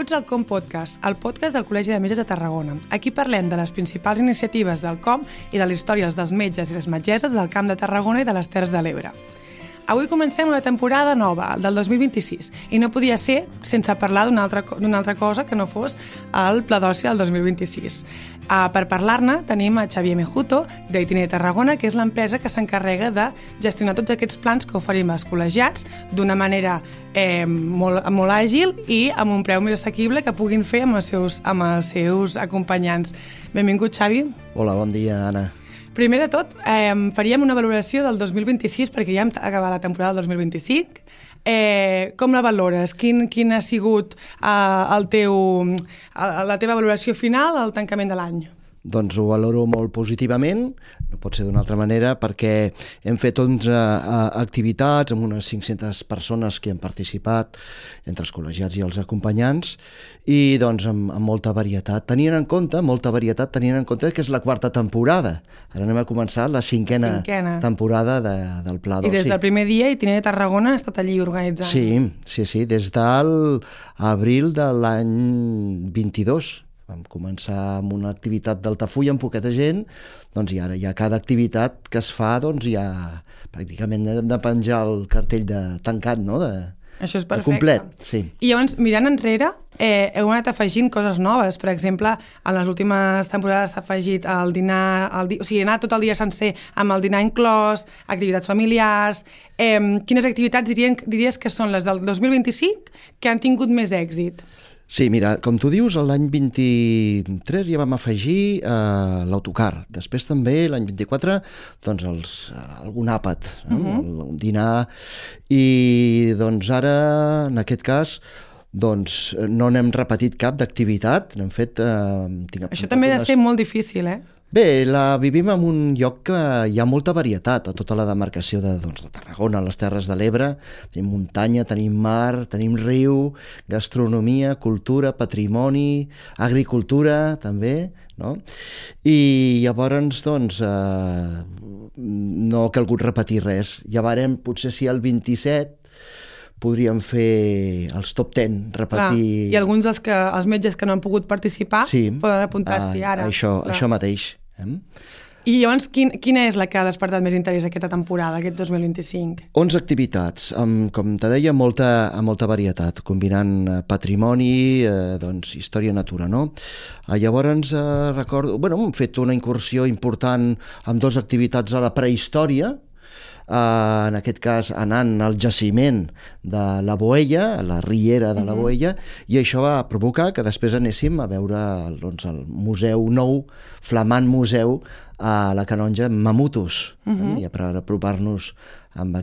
Benvinguts al COM Podcast, el podcast del Col·legi de Metges de Tarragona. Aquí parlem de les principals iniciatives del COM i de les històries dels metges i les metgesses del Camp de Tarragona i de les Terres de l'Ebre. Avui comencem una temporada nova, del 2026, i no podia ser sense parlar d'una altra cosa que no fos el Pla d'Oci del 2026. Per parlar-ne tenim a Xavier Mejuto, d'Itinerari Tarragona, que és l'empresa que s'encarrega de gestionar tots aquests plans que oferim als col·legiats d'una manera molt àgil i amb un preu més assequible que puguin fer amb els seus acompanyants. Benvingut, Xavi. Hola, bon dia, Anna. Primer de tot, faríem una valoració del 2026, perquè ja hem acabat la temporada del 2025. Com la valores? Quin ha sigut la teva valoració final al tancament de l'any? Doncs ho valoro molt positivament, no pot ser d'una altra manera, perquè hem fet 11 activitats amb unes 500 persones que han participat, entre els col·legiats i els acompanyants, i doncs amb molta varietat. Tenint en compte que és la quarta temporada. Ara anem a començar la cinquena temporada del Pla d'Oci. I des del primer dia Itinerari Tarragona ha estat allí organitzant. Sí, des de l'abril de l'any 22. Vam començar amb una activitat d'Altafulla amb poqueta gent, doncs i ara ja cada activitat que es fa, doncs ja pràcticament hem de penjar el cartell de tancat, no? Això és perfecte. Complet, sí. I llavors, mirant enrere, heu anat afegint coses noves. Per exemple, en les últimes temporades s'ha afegit el dinar, o sigui, anar tot el dia sencer amb el dinar inclòs, activitats familiars. Quines activitats diries que són les del 2025 que han tingut més èxit? Sí, mira, com tu dius, l'any 23 ja vam afegir l'autocar. Després també, l'any 24, doncs algun àpat, un dinar. I doncs ara, en aquest cas, doncs no n'hem repetit cap d'activitat. N'hem fet... Això també ha de ser molt difícil, eh? Bé, la vivim en un lloc que hi ha molta varietat a tota la demarcació de Tarragona, les Terres de l'Ebre. Tenim muntanya, tenim mar, tenim riu, gastronomia, cultura, patrimoni, agricultura, també, no? I llavors, doncs, no ha calgut repetir res. Llavors, potser si el 27 podríem fer els top 10, repetir... I alguns els metges que no han pogut participar poden apuntar-s'hi ara. Això mateix. I llavors, quina és la que ha despertat més interès aquesta temporada, aquest 2025? 11 activitats, com te deia, molta varietat, combinant patrimoni, doncs, història i natura, no? Llavors, recordo... hem fet una incursió important amb 2 activitats a la prehistòria, en aquest cas anant al jaciment de la Boella, a la riera de la Boella, i això va provocar que després anéssim a veure el museu nou, flamant museu a la Canonja Mamutos, i per apropar-nos amb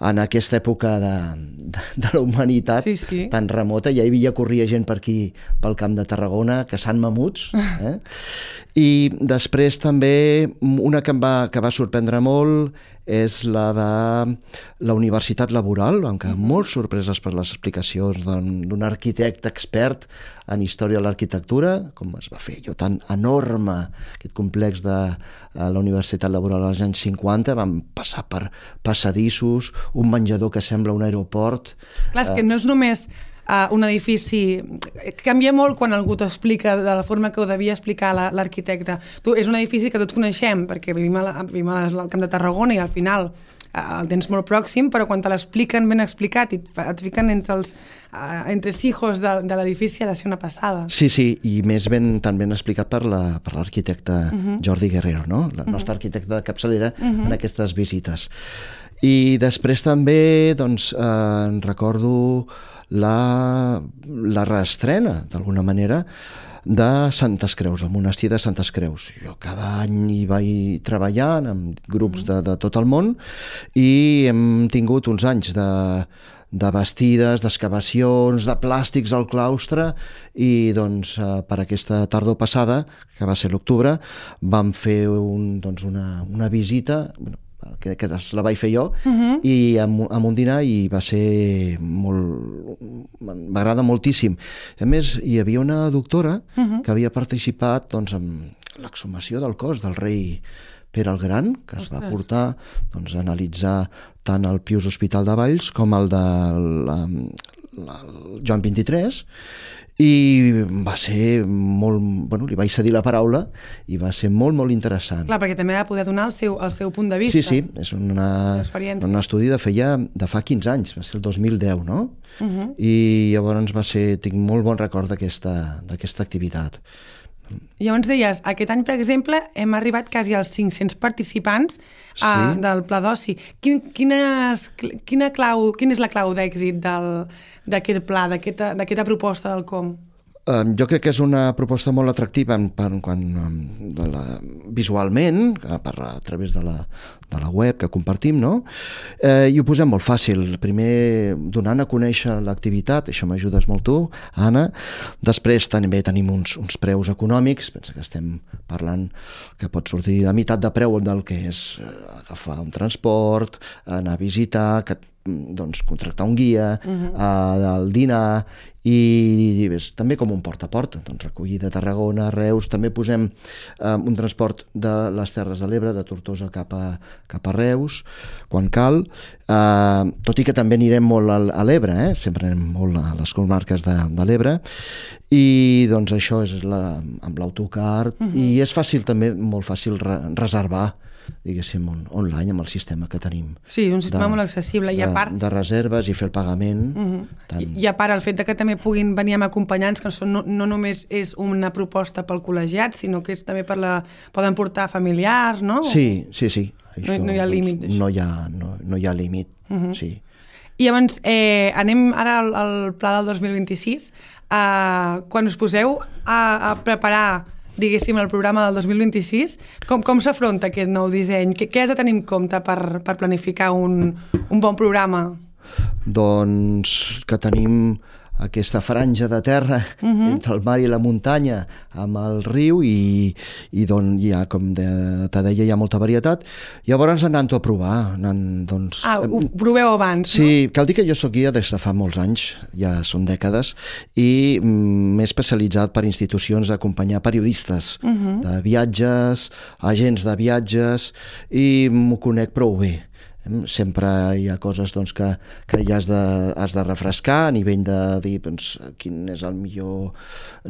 en aquesta època de la humanitat tan remota. Ja hi havia corria gent per aquí, pel Camp de Tarragona, caçant mamuts. I després també una que va sorprendre molt és la de la Universitat Laboral. Vam quedar molt sorpreses per les explicacions d'un arquitecte expert en història de l'arquitectura, com es va fer allò tan enorme, aquest complex de la Universitat Laboral als anys 50. Vam passar per passadissos, un menjador que sembla un aeroport. Clar, és que no és només un edifici... Canvia molt quan algú t'explica de la forma que ho devia explicar l'arquitecte. És un edifici que tots coneixem, perquè vivim al Camp de Tarragona i al final el tens molt pròxim, però quan te l'expliquen ben explicat i et fiquen entre hijos de l'edifici ha de ser una passada. Sí, i més tan ben explicat per l'arquitecte Jordi Guerrero, no? El nostre arquitecte de capçalera en aquestes visites. I després també, doncs, recordo la reestrena, d'alguna manera, de Santes Creus, el monestir de Santes Creus. Jo cada any hi vaig treballant amb grups de tot el món i hem tingut uns anys de bastides, d'excavacions, de plàstics al claustre, i doncs per aquesta tardor passada, que va ser l'octubre, vam fer una visita, que la vaig fer jo, i amb un dinar, i va ser molt... m'agrada moltíssim. A més, hi havia una doctora que havia participat en l'exhumació del cos del rei Pere el Gran, que es va portar a analitzar tant el Pius Hospital de Valls com el de Joan 23, i va ser molt... Bueno, li vaig cedir la paraula i va ser molt, molt interessant. Clar, perquè també va poder donar el seu punt de vista. Sí, és un estudi de fa 15 anys, va ser el 2010, no? I llavors tinc molt bon record d'aquesta activitat. Llavors deies, aquest any, per exemple, hem arribat quasi als 500 participants del Pla d'Oci. Quina és la clau d'èxit d'aquest pla, d'aquesta proposta del COM? Jo crec que és una proposta molt atractiva visualment, a través de la web que compartim, no? I ho posem molt fàcil. Primer, donant a conèixer l'activitat, això m'ajudes molt tu, Anna. Després també tenim uns preus econòmics, pensa que estem parlant que pot sortir a meitat de preu del que és agafar un transport, anar a visitar, contractar un guia, el dinar, i també com un porta a porta, recollida a Tarragona, a Reus, també posem un transport de les Terres de l'Ebre, de Tortosa cap a Reus, quan cal, tot i que també anirem molt a l'Ebre, sempre anem molt a les comarques de l'Ebre, i doncs això és amb l'autocar, i és fàcil també, molt fàcil reservar, diguéssim, online amb el sistema que tenim. Sí, un sistema molt accessible. De reserves i fer el pagament. I a part, el fet que també puguin venir amb acompanyants, que no només és una proposta pel col·legiat, sinó que és també poden portar familiars, no? Sí. No hi ha límit. No hi ha límit, sí. I llavors, anem ara al pla del 2026. Quan us poseu a preparar, diguéssim, el programa del 2026, com s'afronta aquest nou disseny? Què has de tenir en compte per planificar un bon programa? Doncs que tenim aquesta franja de terra entre el mar i la muntanya amb el riu i d'on hi ha, com te deia, hi ha molta varietat. Llavors anant-ho a provar. Ho proveu abans, no? Sí, cal dir que jo soc guia des de fa molts anys, ja són dècades, i m'he especialitzat per institucions d'acompanyar periodistes de viatges, agents de viatges, i m'ho conec prou bé. Sempre hi ha coses que ja has de refrescar a nivell de dir quin és el millor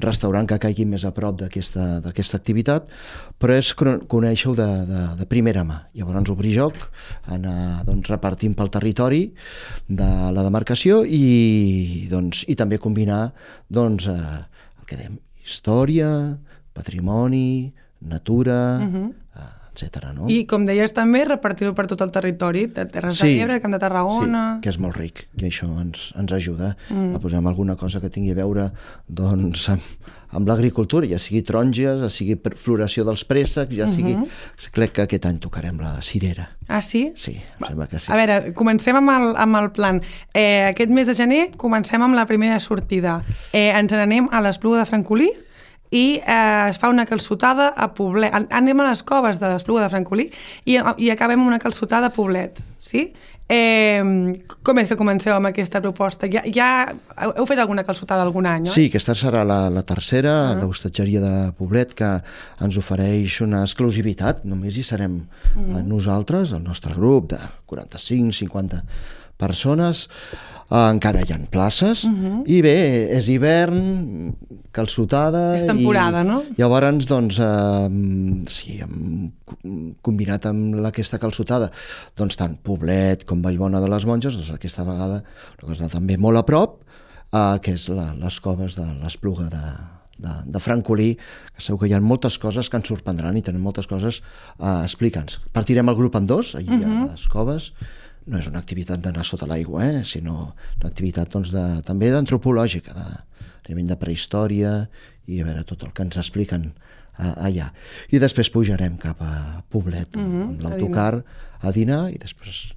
restaurant que caigui més a prop d'aquesta activitat, però és conèixer-ho de primera mà. Llavors obrir joc, anar repartint pel territori de la demarcació i també combinar el que dèiem, història, patrimoni, natura, etcètera, no? I, com deies també, repartir-ho per tot el territori, de Terres de l'Ebre, Camp de Tarragona... Sí, que és molt ric, i això ens ajuda a posar alguna cosa que tingui a veure amb l'agricultura, ja sigui taronges, ja sigui floració dels préssecs, ja sigui... Crec que aquest any tocarem la cirera. Ah, sí? Sí, em sembla que sí. A veure, comencem amb el plan. Aquest mes de gener comencem amb la primera sortida. Ens n'anem a l'Espluga de Francolí, i es fa una calçotada a Poblet. Anem a les coves de l'Espluga de Francolí i acabem amb una calçotada a Poblet, sí? Com és que comenceu amb aquesta proposta? Ja heu fet alguna calçotada algun any, oi? Sí, aquesta serà la tercera, l'hostatgeria de Poblet, que ens ofereix una exclusivitat. Només hi serem nosaltres, el nostre grup de 45-50 persones. Encara hi ha places, i bé, és hivern, calçotada... És temporada, no? Llavors, sí, hem combinat amb aquesta calçotada, tant Poblet com Vallbona de les Monges, aquesta vegada una cosa també molt a prop, que és les coves de l'Espluga de Francolí, que segur que hi ha moltes coses que ens sorprendran i tenen moltes coses a explicar-nos. Partirem el grup en dos, allà hi ha les coves. No és una activitat d'anar sota l'aigua, sinó una activitat també d'antropològica, a nivell de prehistòria, i a veure tot el que ens expliquen allà. I després pujarem cap a Poblet amb l'autocar a dinar i després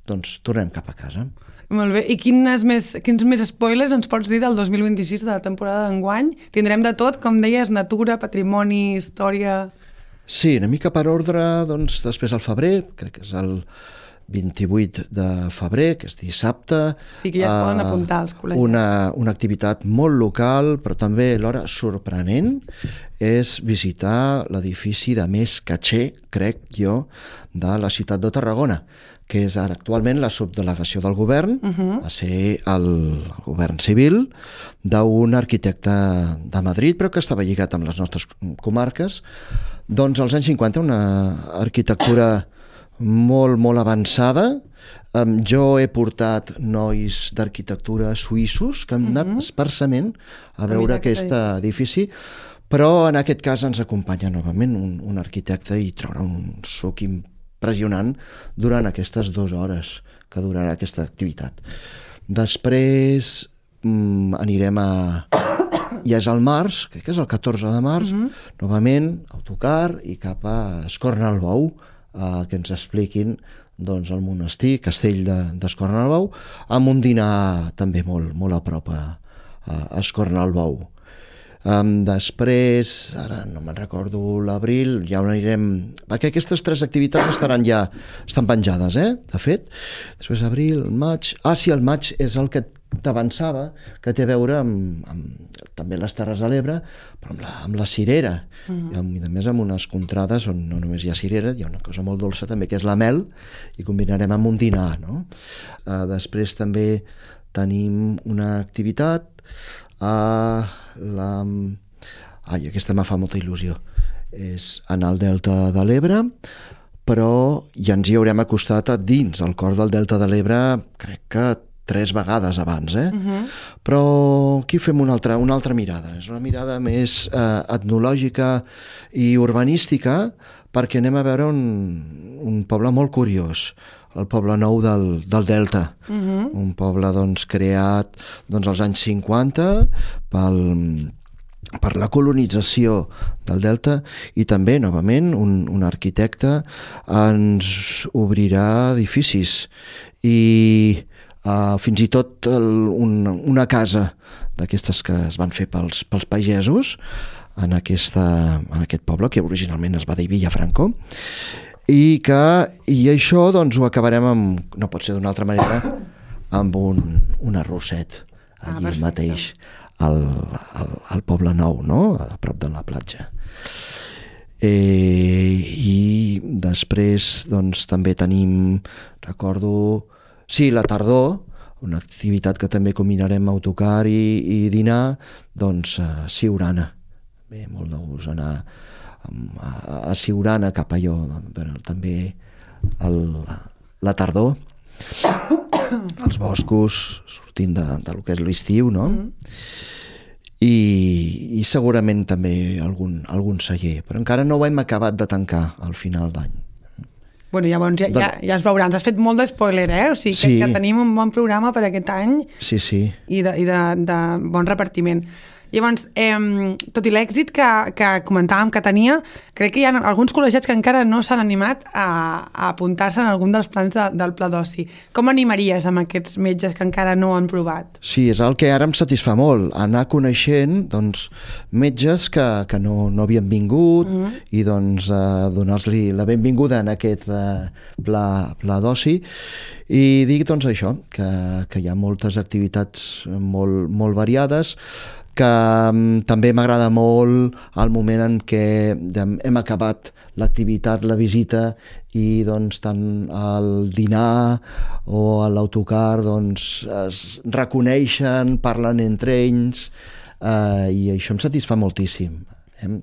tornem cap a casa. Molt bé. I quins més spoilers ens pots dir del 2026, de la temporada d'enguany? Tindrem de tot, com deies, natura, patrimoni, història... Sí, una mica per ordre, després al febrer, crec que és el 28 de febrer, que és dissabte. Sí, que ja es poden apuntar als col·legis. Una activitat molt local, però també alhora sorprenent, és visitar l'edifici de més caché, crec jo, de la ciutat de Tarragona, que és ara actualment la subdelegació del govern, va ser el govern civil d'un arquitecte de Madrid, però que estava lligat amb les nostres comarques. Doncs als anys 50, una arquitectura molt, molt avançada. Jo he portat nois d'arquitectura suïssos que han anat expressament a veure aquest edifici, però en aquest cas ens acompanya novament un arquitecte i traurà un suc impressionant durant aquestes 2 hores que durarà aquesta activitat. Després anirem ja és al març, crec que és el 14 de març, novament autocar i cap a Escornalbou, que ens expliquin el monestir, castell d'Escornalbou, amb un dinar també molt a prop a Escornalbou. Després, ara no me'n recordo, l'abril, ja on anirem, perquè aquestes 3 activitats estan penjades, de fet. Després abril, maig... sí, el maig és el que t'avançava, que té a veure amb també les Terres de l'Ebre, però amb la cirera, i a més amb unes contrades on no només hi ha cirera, hi ha una cosa molt dolça també, que és la mel, i combinarem amb un dinar, no? Després també tenim una activitat aquesta me fa molta il·lusió, és anar al Delta de l'Ebre, però ja ens hi haurem acostat a dins el cor del Delta de l'Ebre, crec que 3 vegades abans, però aquí fem una altra mirada, és una mirada més etnològica i urbanística, perquè anem a veure un poble molt curiós, el Poble Nou del Delta, un poble creat als anys 50 per la colonització del Delta, i també, novament, un arquitecte ens obrirà edificis i fins i tot una casa d'aquestes que es van fer pels pagesos en aquest poble, que originalment es va dir Villafranco, i això ho acabarem amb, no pot ser d'una altra manera, amb un arrosset allí mateix al Poble Nou, no? A prop de la platja. I després també tenim, recordo, la tardor, una activitat que també combinarem autocar i dinar, Siurana. Bé, molt de gust anar a Siurana, cap allò, també la tardor, els boscos, sortint del que és l'estiu, no? I segurament també algun celler, però encara no ho hem acabat de tancar al final d'any. Bueno, llavors ja es veurà. Ens has fet molt d'espoiler, O sigui, que tenim un bon programa per aquest any. Sí. I de bon repartiment. Llavors, tot i l'èxit que comentàvem que tenia, crec que hi ha alguns col·legiats que encara no s'han animat a apuntar-se en algun dels plans del Pla d'Oci. Com animaries amb aquests metges que encara no han provat? Sí, és el que ara em satisfà molt, anar coneixent metges que no havien vingut i donar-li la benvinguda en aquest Pla d'Oci, i dir això, que hi ha moltes activitats molt variades, que també m'agrada molt el moment en què hem acabat l'activitat, la visita, i tant al dinar o a l'autocar es reconeixen, parlen entre ells, i això em satisfà moltíssim,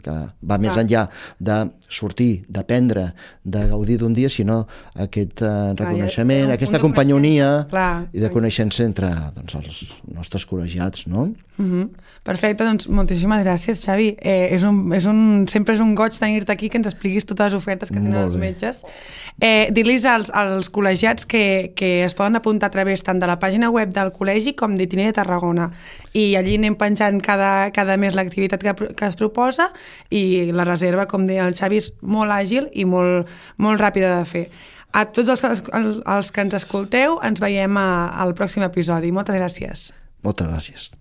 que va més enllà de sortir, d'aprendre, de gaudir d'un dia, sinó aquest reconeixement, aquesta companyonia i de coneixença entre els nostres col·legiats, no? Perfecte, doncs moltíssimes gràcies, Xavi. Sempre és un goig tenir-te aquí, que ens expliquis totes les ofertes que tenen els metges. Dir-los als col·legiats que es poden apuntar a través tant de la pàgina web del col·legi com d'Itinerari de Tarragona, i allí anem penjant cada mes l'activitat que es proposa, i la reserva, com deia el Xavi, és molt àgil i molt ràpida de fer. A tots els que ens escolteu, ens veiem al pròxim episodi. Moltes gràcies. Moltes gràcies.